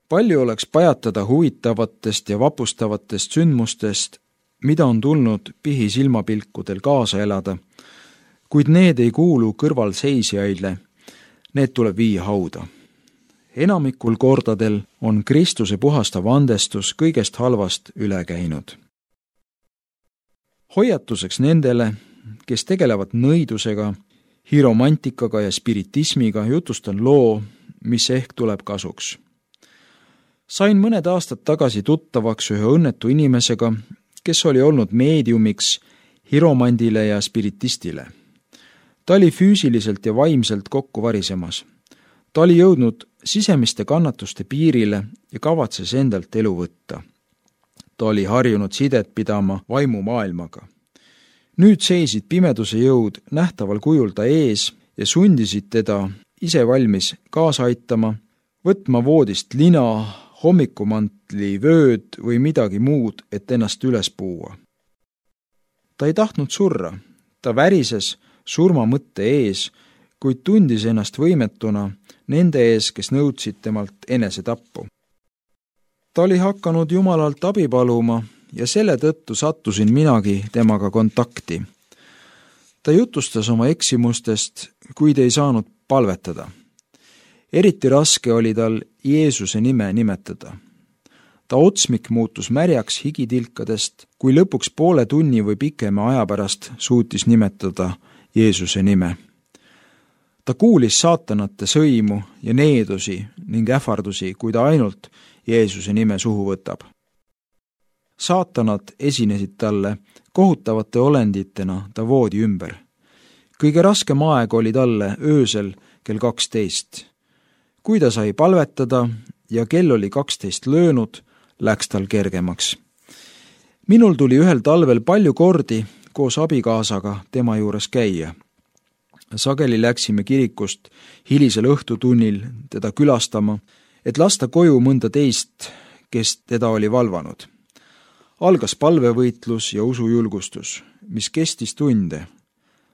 Palju oleks pajatada huvitavatest ja vapustavatest sündmustest, mida on tulnud pihisilmapilkudel kaasa elada, kuid need ei kuulu kõrvalseisjaile, need tuleb viia hauda. Enamikul kordadel on Kristuse puhastav andestus kõigest halvast üle käinud. Hoiatuseks nendele, kes tegelevad nõidusega, hiromantikaga ja spiritismiga, jutustan loo, mis ehk tuleb kasuks. Sain mõned aastad tagasi tuttavaks ühe õnnetu inimesega, kes oli olnud meediumiks hiromandile ja spiritistile. Ta oli füüsiliselt ja vaimselt kokku varisemas. Ta oli jõudnud sisemiste kannatuste piirile ja kavatses endalt elu võtta. Ta oli harjunud sidet pidama vaimumaailmaga. Nüüd seisid pimeduse jõud nähtaval kujul ta ees ja sundisid teda ise valmis kaasa aitama, võtma voodist lina, hommikumantli, vööd või midagi muud, et ennast üles puua. Ta ei tahtnud surra, ta värises surmamõtte ees, kuid tundis ennast võimetuna nende ees, kes nõudsid temalt enesetappu. Ta oli hakanud Jumalalt abi paluma ja selle tõttu sattusin minagi temaga kontakti. Ta jutustas oma eksimustest, kuid ei saanud palvetada. Eriti raske oli tal Jeesuse nime nimetada. Ta otsmik muutus märjaks higitilkadest, kui lõpuks poole tunni või pikema aja pärast suutis nimetada Jeesuse nime. Ta kuulis saatanate sõimu ja needusi ning ähvardusi, kui ta ainult Jeesuse nime suhu võtab. Saatanad esinesid talle kohutavate olenditena ta voodi ümber. Kõige raskem aeg oli talle öösel kell 12. Kui ta sai palvetada ja kell oli 12 löönud, läks tal kergemaks. Minul tuli ühel talvel palju kordi koos abikaasaga tema juures käia. Sageli läksime kirikust hilisel õhtutunnil teda külastama, et lasta koju mõnda teist, kes teda oli valvanud. Algas palvevõitlus ja usujulgustus, mis kestis tunde.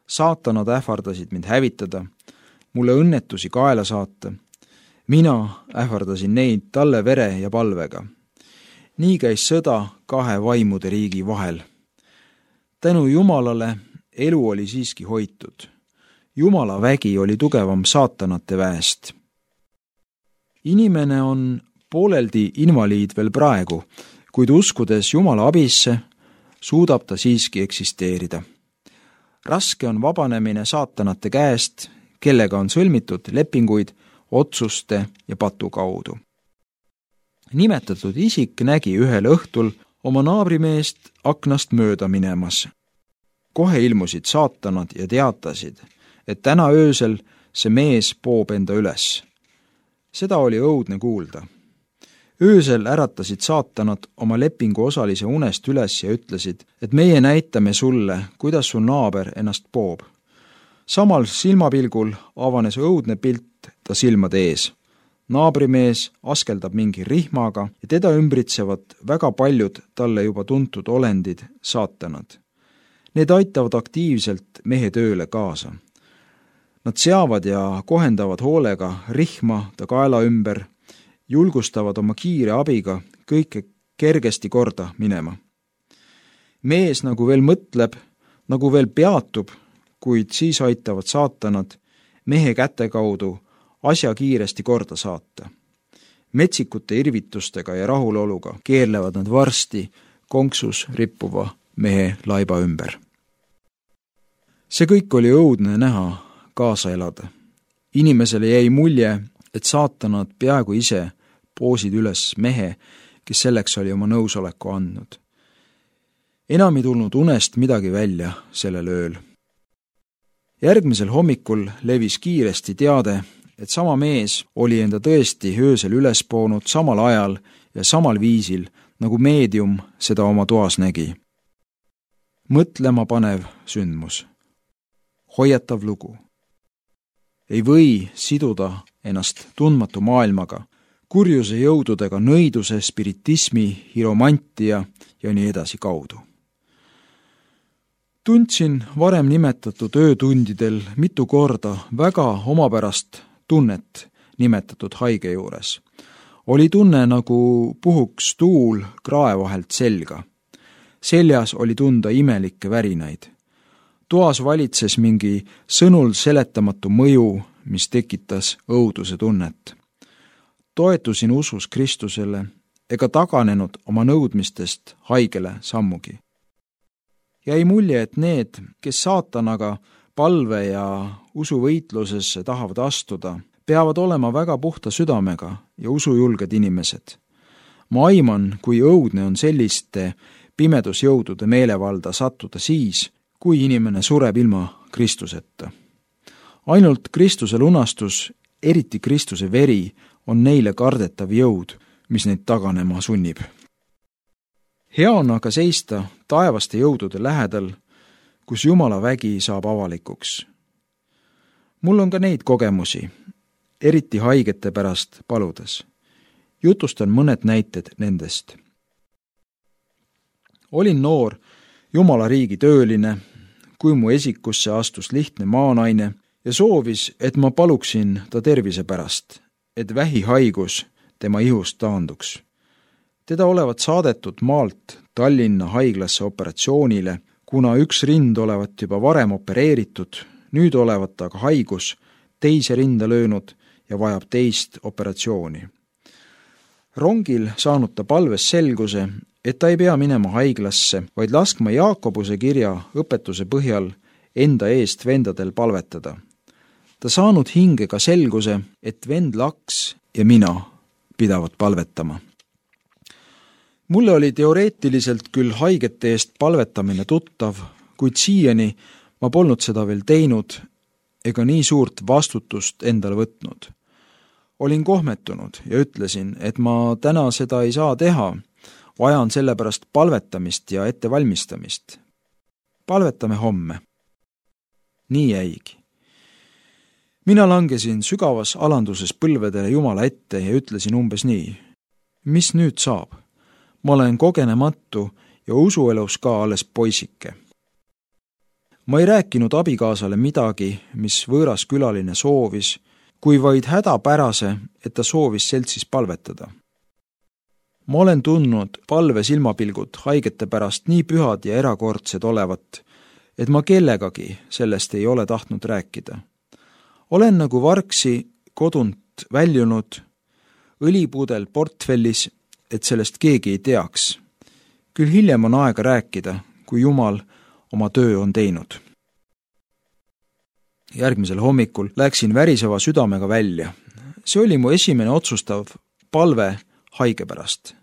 Saatanad ähvardasid mind hävitada, mulle õnnetusi kaela saata. Mina ähvardasin neid talle vere ja palvega. Nii käis sõda kahe vaimude riigi vahel. Tänu Jumalale elu oli siiski hoitud. Jumala vägi oli tugevam saatanate väest. Inimene on pooleldi invaliid veel praegu, kuid uskudes Jumala abisse, suudab ta siiski eksisteerida. Raske on vabanemine saatanate käest, kellega on sõlmitud lepinguid otsuste ja patu kaudu. Nimetatud isik nägi ühel õhtul oma naabrimeest aknast mööda minemas. Kohe ilmusid saatanad ja teatasid, et täna öösel see mees poob enda üles. Seda oli õudne kuulda. Öösel äratasid saatanad oma lepingu osalise unest üles ja ütlesid, et meie näitame sulle, kuidas su naaber ennast poob. Samal silmapilgul avanes õudne pilt ta silmade ees. Naabrimees askeldab mingi rihmaga ja teda ümbritsevad väga paljud talle juba tuntud olendid, saatanad. Need aitavad aktiivselt mehe tööle kaasa. Nad seavad ja kohendavad hoolega rihma ta kaela ümber, julgustavad oma kiire abiga kõike kergesti korda minema. Mees nagu veel mõtleb, nagu veel peatub, kuid siis aitavad saatanad mehe käte kaudu asja kiiresti korda saata. Metsikute irvitustega ja rahuloluga keerlevad nad varsti konksus rippuva mehe laiba ümber. See kõik oli õudne näha, kaasa elada. Inimesele jäi mulje, et saatanad peaaegu ise poosid üles mehe, kes selleks oli oma nõusoleku andnud. Enam ei tulnud unest midagi välja sellel ööl. Järgmisel hommikul levis kiiresti teade, et sama mees oli enda tõesti öösel üles poonud samal ajal ja samal viisil, nagu meedium seda oma toas nägi. Mõtlema panev sündmus. Hoiatav lugu. Ei või siduda ennast tundmatu maailmaga, kurjuse jõududega nõiduse, spiritismi, hiromantia ja nii edasi kaudu. Tundsin varem nimetatud öötundidel mitu korda väga omapärast tunnet nimetatud haige juures. Oli tunne, nagu puhuks tuul krae vahelt selga. Seljas oli tunda imelikke värinaid. Toas valitses mingi sõnul seletamatu mõju, mis tekitas õuduse tunnet. Toetusin usus Kristusele ega taganenud oma nõudmistest haigele sammugi. Jäi mulje, et need, kes saatanaga palve ja usuvõitlusesse tahavad astuda, peavad olema väga puhta südamega ja usujulged inimesed. Ma aiman, kui õudne on selliste pimedusjõudude meelevalda sattuda siis, kui inimene sureb ilma Kristuseta. Ainult Kristuse lunastus, eriti Kristuse veri, on neile kardetav jõud, mis neid taganema sunnib. Hea on aga seista taevaste jõudude lähedal, kus Jumala vägi saab avalikuks. Mul on ka neid kogemusi, eriti haigete pärast paludes. Jutustan mõned näited nendest. Olin noor Jumala riigi tööline, kui mu esikusse astus lihtne maanaine ja soovis, et ma paluksin ta tervise pärast, et vähihaigus tema ihust taanduks. Teda olevat saadetud maalt Tallinna haiglasse operatsioonile, kuna üks rind olevat juba varem opereeritud, nüüd olevat aga haigus teise rinda löönud ja vajab teist operatsiooni. Rongil saanud ta palves selguse, et ta ei pea minema haiglasse, vaid laskma Jaakobuse kirja õpetuse põhjal enda eest vendadel palvetada. Ta saanud hinge ka selguse, et vend Laks ja mina pidavad palvetama. Mulle oli teoreetiliselt küll haigete eest palvetamine tuttav, kuid siiani ma polnud seda veel teinud ega nii suurt vastutust endale võtnud. Olin kohmetunud ja ütlesin, et ma täna seda ei saa teha, vajan sellepärast palvetamist ja ettevalmistamist. Palvetame homme. Nii jäigi. Mina langesin sügavas alanduses põlvedele Jumala ette ja ütlesin umbes nii. Mis nüüd saab? Ma olen kogenematu ja usuelus ka alles poisike. Ma ei rääkinud abikaasale midagi, mis võõras külaline soovis, kui vaid hädapärase, et ta soovis seltsis palvetada. Ma olen tundnud palve silmapilgud haigete pärast nii pühad ja erakordsed olevat, et ma kellegagi sellest ei ole tahtnud rääkida. Olen nagu vargsi kodunt väljunud, õlipudel portfellis, et sellest keegi ei teaks. Küll hiljem on aega rääkida, kui Jumal oma töö on teinud. Järgmisel hommikul läksin väriseva südamega välja. See oli mu esimene otsustav palve haige pärast.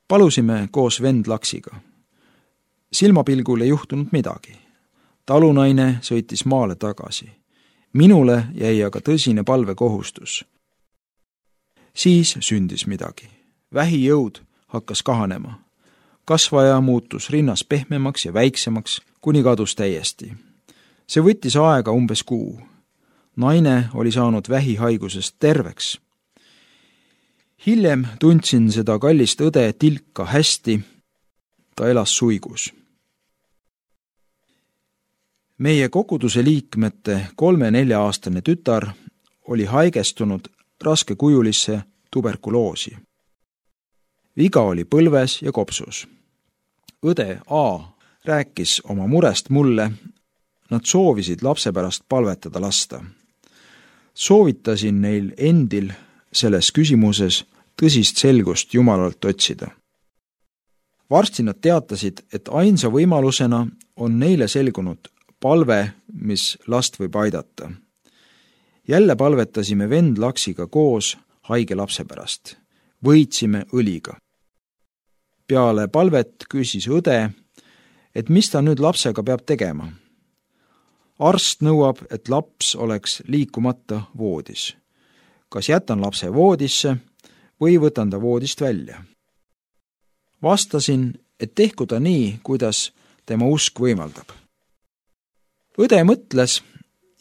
Palusime koos vend Laksiga. Silmapilgul ei juhtunud midagi. Talunaine sõitis maale tagasi. Minule jäi aga tõsine palvekohustus. Siis sündis midagi. Vähijõud hakkas kahanema. Kasvaja muutus rinnas pehmemaks ja väiksemaks, kuni kadus täiesti. See võttis aega umbes kuu. Naine oli saanud vähihaigusest terveks. Hiljem tundsin seda kallist õde Tilka hästi. Ta elas suigus. Meie koguduse liikmete 3-4-aastane tütar oli haigestunud raskekujulisse tuberkuloosi. Viga oli põlves ja kopsus. Õde A rääkis oma murest mulle, nad soovisid lapse pärast palvetada lasta. Soovitasin neil endil selles küsimuses tõsist selgust Jumalalt otsida. Varsti nad teatasid, et ainsa võimalusena on neile selgunud palve, mis last võib aidata. Jälle palvetasime vend Laksiga koos haige lapse pärast. Võitsime õliga. Peale palvet küsis õde, et mis ta nüüd lapsega peab tegema. Arst nõuab, et laps oleks liikumata voodis. Kas jätan lapse voodisse või võtan ta voodist välja? Vastasin, et tehku ta nii, kuidas tema usk võimaldab. Õde mõtles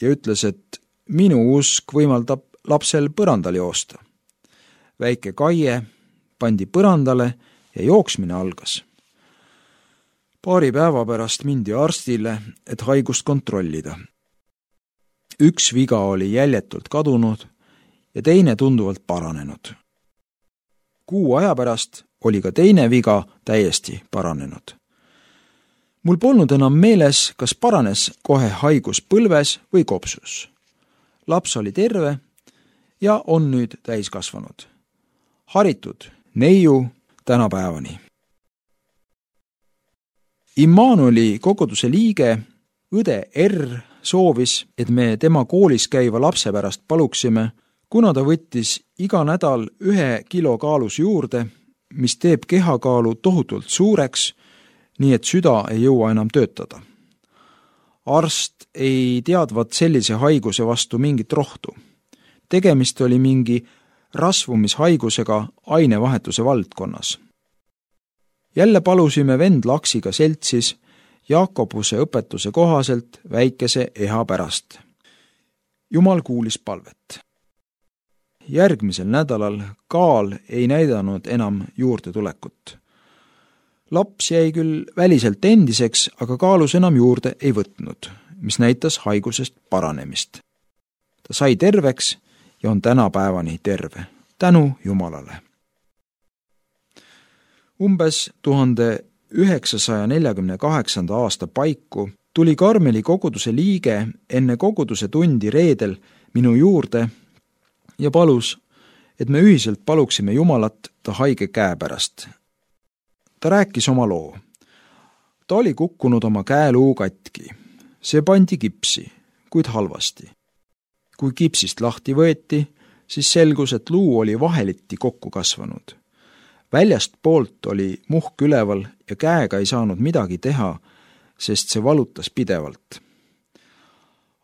ja ütles, et minu usk võimaldab lapsel põrandal joosta. Väike Kaie pandi põrandale ja jooksmine algas. Paari päeva pärast mindi arstile, et haigust kontrollida. Üks viga oli jäljetult kadunud ja teine tunduvalt paranenud. kuu aja pärast oli ka teine viga täiesti paranenud. Mul polnud enam meeles, kas paranes kohe haigus põlves või kopsus. Laps oli terve ja on nüüd täiskasvanud. Haritud neiu tänapäevani. Immanueli koguduse liige õde R soovis, et me tema koolis käiva lapse pärast paluksime, kuna ta võttis iga nädal 1 kilo kaalus juurde, mis teeb kehakaalu tohutult suureks, nii et süda ei jõua enam töötada. Arst ei teadvat sellise haiguse vastu mingit rohtu. Tegemist oli mingi rasvumishaigusega ainevahetuse valdkonnas. Jälle palusime vend Laksiga seltsis Jakobuse õpetuse kohaselt väikese eha pärast. Jumal kuulis palvet. Järgmisel nädalal kaal ei näidanud enam juurde tulekut. Laps jäi küll väliselt endiseks, aga kaalus enam juurde ei võtnud, mis näitas haigusest paranemist. Ta sai terveks ja on tänapäevani terve, tänu Jumalale. Umbes 1948. aasta paiku tuli Karmeli koguduse liige enne koguduse tundi reedel minu juurde ja palus, et me ühiselt paluksime Jumalat ta haige käe pärast. Ta rääkis oma loo. Ta oli kukkunud oma käeluu katki. See pandi kipsi, kuid halvasti. Kui kipsist lahti võeti, siis selgus, et luu oli vaheliti kokku kasvanud. Väljast poolt oli muhk üleval ja käega ei saanud midagi teha, sest see valutas pidevalt.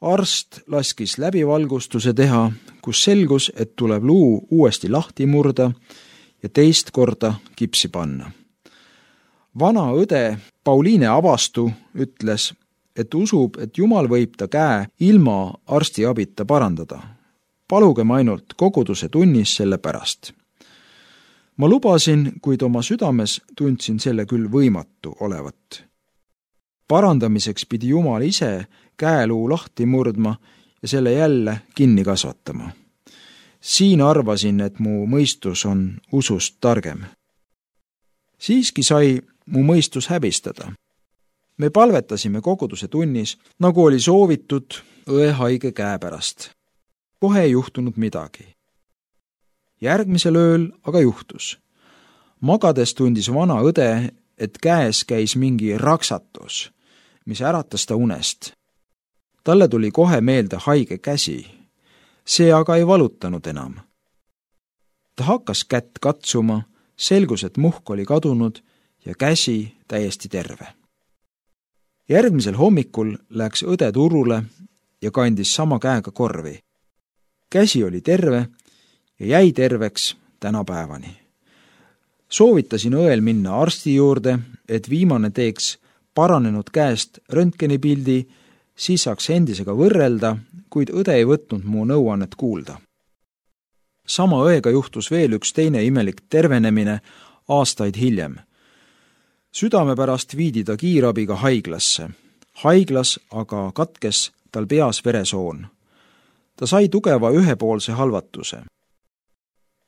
Arst laskis läbivalgustuse teha, kus selgus, et tuleb luu uuesti lahti murda ja teist korda kipsi panna. Vana õde Pauliine Avastu ütles, et usub, et Jumal võib ta käe ilma arsti abita parandada. Palugem ainult koguduse tunnis selle pärast. Ma lubasin, kuid oma südames tundsin selle küll võimatu olevat. Parandamiseks pidi Jumal ise käeluu lahti murdma ja selle jälle kinni kasvatama. Siin arvasin, et mu mõistus on usust targem. Siiski sai mu mõistus häbistada. Me palvetasime koguduse tunnis, nagu oli soovitud õe haige käe pärast. Kohe ei juhtunud midagi. Järgmisel ööl aga juhtus. Magades tundis vana õde, et käes käis mingi raksatus, mis äratas ta unest. Talle tuli kohe meelde haige käsi. See aga ei valutanud enam. Ta hakkas kätt katsuma, selgus, et muhk oli kadunud ja käsi täiesti terve. Järgmisel hommikul läks õde turule ja kandis sama käega korvi. Käsi oli terve ja jäi terveks tänapäevani. Soovitasin õel minna arsti juurde, et viimane teeks paranenud käest röntgenipildi, siis saaks endisega võrrelda, kuid õde ei võtnud mu nõuannet kuulda. Sama õega juhtus veel üks teine imelik tervenemine aastaid hiljem. Südame pärast viidi ta kiirabiga haiglasse. Haiglas aga katkes tal peas veresoon. Ta sai tugeva ühepoolse halvatuse.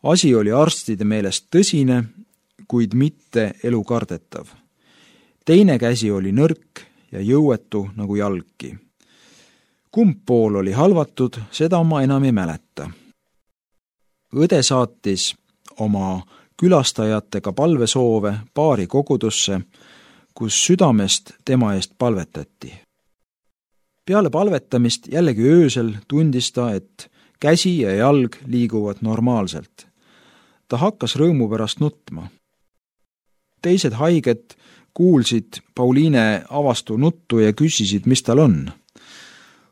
Asi oli arstide meelest tõsine, kuid mitte elukardetav. Teine käsi oli nõrk ja jõuetu nagu jalgki. Kumb pool oli halvatud, seda ma enam ei mäleta. Õde saatis oma külastajatega palvesoove paari kogudusse, kus südamest tema eest palvetati. Peale palvetamist jällegi öösel tundis ta, et käsi ja jalg liiguvad normaalselt. Ta hakkas rõõmu pärast nutma. Teised haiged kuulsid Pauliine Avastu nuttu ja küsisid, mis tal on.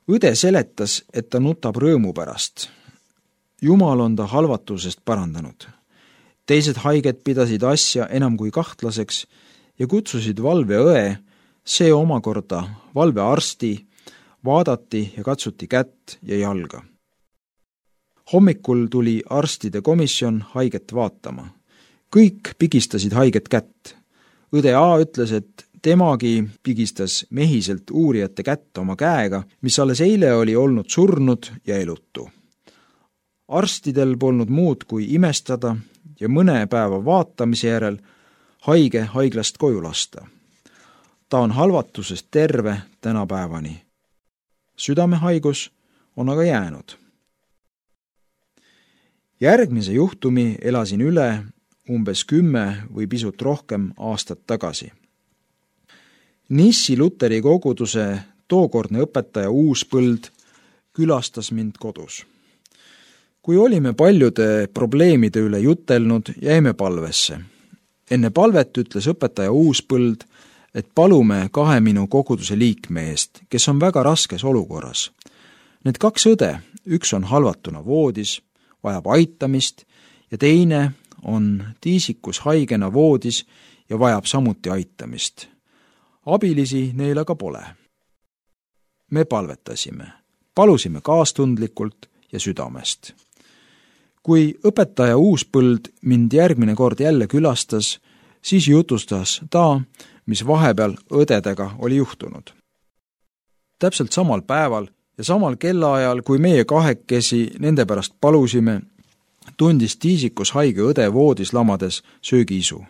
Õde seletas, et ta nutab rõõmu pärast. Jumal on ta halvatusest parandanud. Teised haiged pidasid asja enam kui kahtlaseks ja kutsusid valveõe, see omakorda valvearsti, vaadati ja katsuti kätt ja jalga. Hommikul tuli arstide komisjon haiget vaatama. Kõik pigistasid haiget kätt. Õde A ütles, et temagi pigistas mehiselt uurijate kätt oma käega, mis alles eile oli olnud surnud ja elutu. Arstidel polnud muud kui imestada ja mõne päeva vaatamise järel haige haiglast koju lasta. Ta on halvatusest terve tänapäevani. Südamehaigus on aga jäänud. Järgmise juhtumi elasin üle umbes 10 või pisut rohkem aastat tagasi. Nissi Luteri koguduse tookordne õpetaja Uuspõld külastas mind kodus. Kui olime paljude probleemide üle jutelnud, jäime palvesse. Enne palvet ütles õpetaja Uuspõld, et palume 2 minu koguduse liikme eest, kes on väga raskes olukorras. Need 2 õde, üks on halvatuna voodis, vajab aitamist ja teine on tiisikus haigena voodis ja vajab samuti aitamist. Abilisi neil aga pole. Me palvetasime, palusime kaastundlikult ja südamest. Kui õpetaja Uuspõld mind järgmine kord jälle külastas, siis jutustas ta, mis vahepeal õdedega oli juhtunud. Täpselt samal päeval ja samal kellaajal, kui meie 2 nende pärast palusime, tundis tiisikus haige õde voodis lamades söögiisu.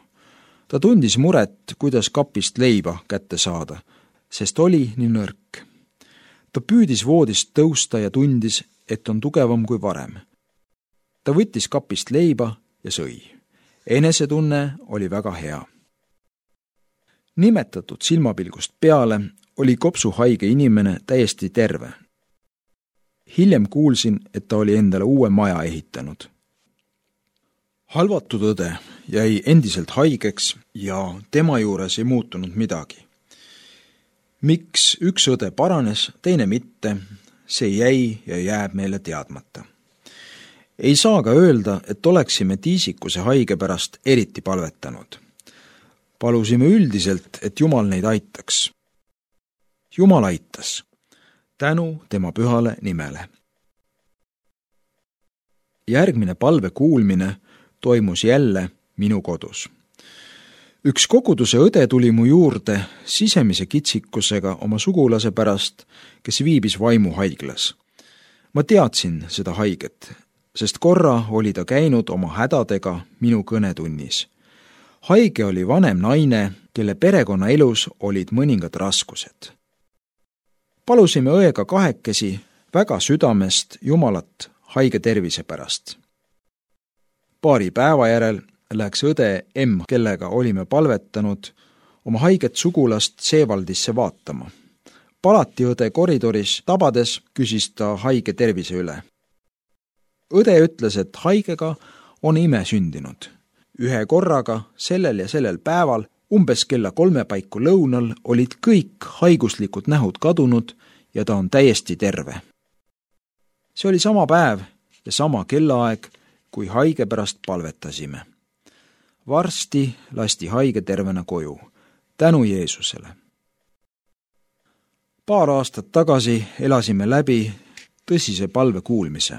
Ta tundis muret, kuidas kapist leiba kätte saada, sest oli nii nõrk. Ta püüdis voodist tõusta ja tundis, et on tugevam kui varem. Ta võttis kapist leiba ja sõi. Enesetunne oli väga hea. Nimetatud silmapilgust peale oli kopsuhaige inimene täiesti terve. Hiljem kuulsin, et ta oli endale uue maja ehitanud. Halvatud õde jäi endiselt haigeks ja tema juures ei muutunud midagi. Miks üks õde paranes, teine mitte, see jäi ja jääb meile teadmata. Ei saa ka öelda, et oleksime tiisikuse haige pärast eriti palvetanud. Palusime üldiselt, et Jumal neid aitaks. Jumal aitas. Tänu tema pühale nimele. Järgmine palve kuulmine toimus jälle minu kodus. Üks koguduse õde tuli mu juurde sisemise kitsikusega oma sugulase pärast, kes viibis vaimuhaiglas. Ma teadsin seda haiget, sest korra oli ta käinud oma hädadega minu kõnetunnis. Haige oli vanem naine, kelle perekonnaelus olid mõningad raskused. Palusime õega 2 väga südamest Jumalat haige tervise pärast. Paari päeva järel läks õde M, kellega olime palvetanud, oma haiget sugulast Seevaldisse vaatama. Palatiõde koridoris tabades küsis ta haige tervise üle. Õde ütles, et haigega on ime sündinud. Ühe korraga sellel ja sellel päeval umbes kella 3 paiku lõunal olid kõik haiguslikud nähud kadunud ja ta on täiesti terve. See oli sama päev ja sama kellaaeg, kui haige pärast palvetasime. Varsti lasti haige tervena koju. Tänu Jeesusele. Paar aastat tagasi elasime läbi tõsise palve kuulmise.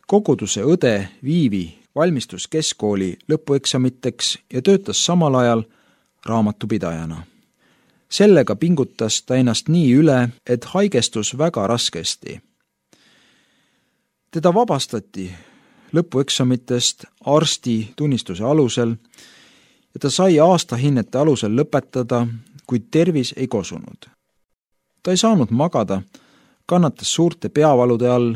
Koguduse õde Viivi valmistus keskkooli lõpueksamiteks ja töötas samal ajal raamatupidajana. Sellega pingutas ta ennast nii üle, et haigestus väga raskesti. Teda vabastati lõpueksamitest arsti tunnistuse alusel ja ta sai aastahinnete alusel lõpetada, kuid tervis ei kosunud. Ta ei saanud magada, kannatas suurte peavalude all,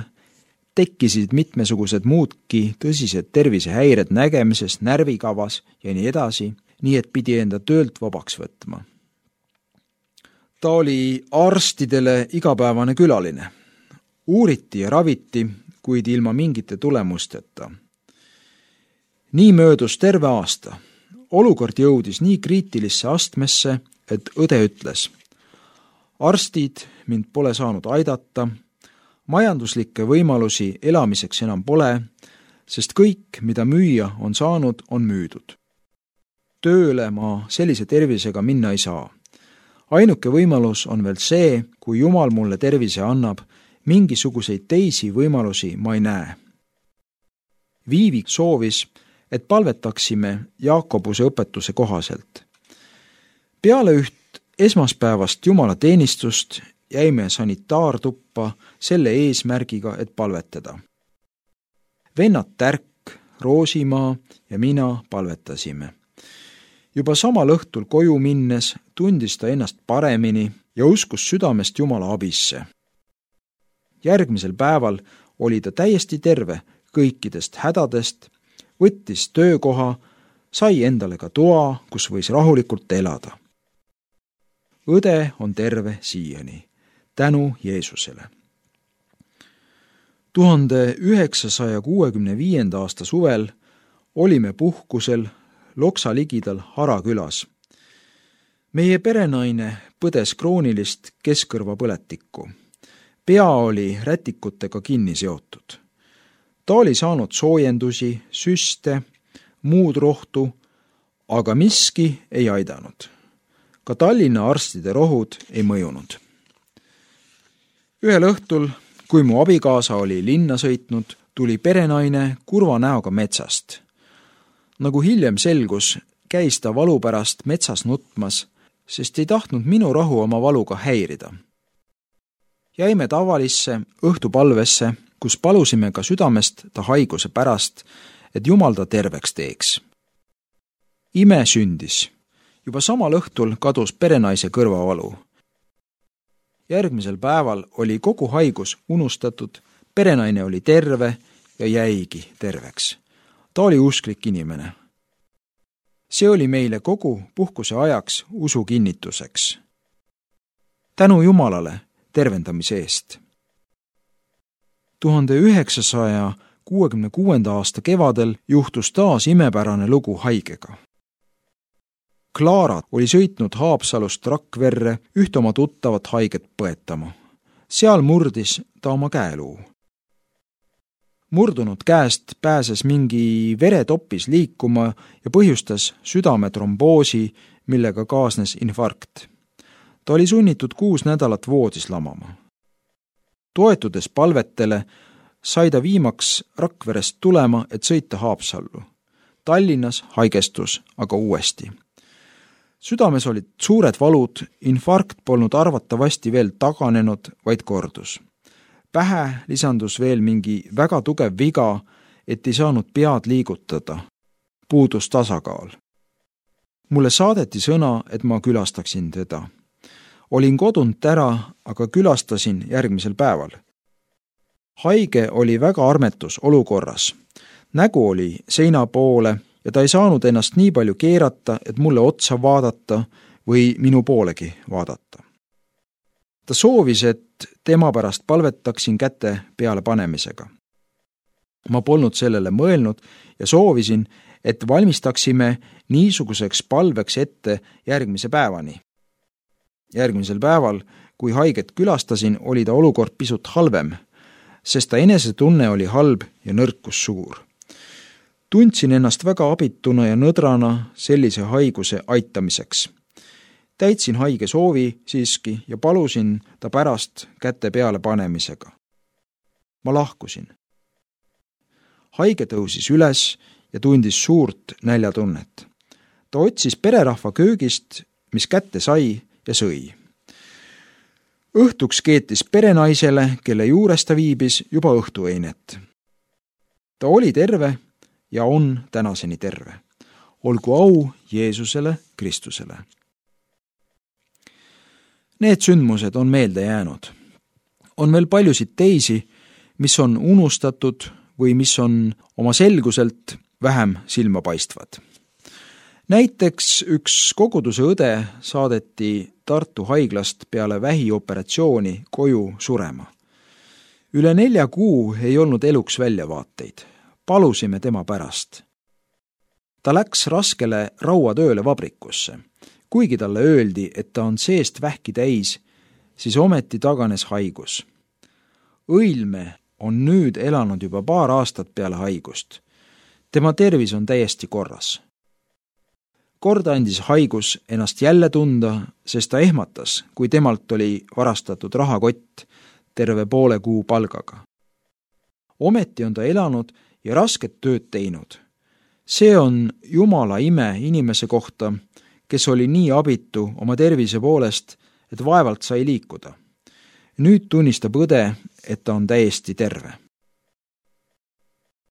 tekkisid mitmesugused muudki tõsised tervisehäired nägemises, närvikavas ja nii edasi, nii et pidi enda töölt vabaks võtma. Ta oli arstidele igapäevane külaline. Uuriti ja raviti, kuid ilma mingite tulemusteta. Nii möödus terve aasta. Olukord jõudis nii kriitilisse astmesse, et õde ütles: arstid mind pole saanud aidata, majanduslikke võimalusi elamiseks enam pole, sest kõik, mida müüa on saanud, on müüdud. Tööle ma sellise tervisega minna ei saa. Ainuke võimalus on veel see, kui Jumal mulle tervise annab, mingisuguseid teisi võimalusi ma ei näe. Viivi soovis, et palvetaksime Jaakobuse õpetuse kohaselt. Peale üht esmaspäevast jumalateenistust jäime sanitaartuppa selle eesmärgiga, et palvetada. Vennad Tärk, Roosimaa ja mina palvetasime. Juba samal õhtul koju minnes tundis ta ennast paremini ja uskus südamest Jumala abisse. Järgmisel päeval oli ta täiesti terve kõikidest hädadest, võttis töökoha, sai endale ka toa, kus võis rahulikult elada. Õde on terve siiani, tänu Jeesusele. 1965. aasta suvel olime puhkusel Loksa ligidal Harakülas. Meie perenaine põdes kroonilist keskkõrvapõletikku. Pea oli rätikutega kinni seotud. Ta oli saanud soojendusi, süste, muud rohtu, aga miski ei aidanud. Ka Tallinna arstide rohud ei mõjunud. Ühel õhtul, kui mu abikaasa oli linna sõitnud, tuli perenaine kurva näoga metsast. Nagu hiljem selgus, käis ta valu pärast metsas nutmas, sest ei tahtnud minu rahu oma valuga häirida. Jäime tavalisse õhtupalvesse, kus palusime ka südamest ta haiguse pärast, et Jumal ta terveks teeks. Ime sündis. Juba samal õhtul kadus perenaise kõrvavalu. Järgmisel päeval oli kogu haigus unustatud, perenaine oli terve ja jäigi terveks. Ta oli usklik inimene. See oli meile kogu puhkuse ajaks usu kinnituseks. Tänu Jumalale tervendamise eest. 1966. aasta kevadel juhtus taas imepärane lugu haigega. Klaara oli sõitnud Haapsalust Rakverre üht oma tuttavat haiget põetama. Seal murdis ta oma käeluu. Murdunud käest pääses mingi veretopis liikuma ja põhjustas südametromboosi, millega kaasnes infarkt. Ta oli sunnitud 6 nädalat voodis lamama. Toetudes palvetele sai ta viimaks Rakverest tulema, et sõita Haapsallu. Tallinnas haigestus aga uuesti. Südames olid suured valud, infarkt polnud arvatavasti veel taganenud, vaid kordus. Pähe lisandus veel mingi väga tugev viga, et ei saanud pead liigutada. Puudus tasakaal. Mulle saadeti sõna, et ma külastaksin teda. Olin kodunt ära, aga külastasin järgmisel päeval. Haige oli väga armetus olukorras. Nägu oli seina poole ja ta ei saanud ennast nii palju keerata, et mulle otsa vaadata või minu poolegi vaadata. Ta soovis, et tema pärast palvetaksin käte peale panemisega. Ma polnud sellele mõelnud ja soovisin, et valmistaksime niisuguseks palveks ette järgmise päevani. Järgmisel päeval, kui haiget külastasin, oli ta olukord pisut halvem, sest ta enesetunne oli halb ja nõrkus suur. Tundsin ennast väga abituna ja nõdrana sellise haiguse aitamiseks. Täitsin haige soovi siiski ja palusin ta pärast käte peale panemisega. Ma lahkusin. Haige tõusis üles ja tundis suurt näljatunnet. Ta otsis pererahva köögist, mis kätte sai ja sõi. Õhtuks keetis perenaisele, kelle juures ta viibis, juba õhtueinet. Ta oli terve ja on tänaseni terve. Olgu au Jeesusele Kristusele. Need sündmused on meelde jäänud. On veel paljusid teisi, mis on unustatud või mis on oma selguselt vähem silmapaistvad. Näiteks üks koguduse õde saadeti Tartu haiglast peale vähioperatsiooni koju surema. Üle 4 kuu ei olnud eluks väljavaateid. Palusime tema pärast. Ta läks raskele rauatööle vabrikusse. Kuigi talle öeldi, et ta on seest vähki täis, siis ometi taganes haigus. Õilme on nüüd elanud juba paar aastat peale haigust. Tema tervis on täiesti korras. Kord andis haigus ennast jälle tunda, sest ta ehmatas, kui temalt oli varastatud rahakott terve poole kuu palgaga. Ometi on ta elanud ja rasket tööd teinud. See on Jumala ime inimese kohta, kes oli nii abitu oma tervise poolest, et vaevalt sai liikuda. Nüüd tunnistab õde, et ta on täiesti terve.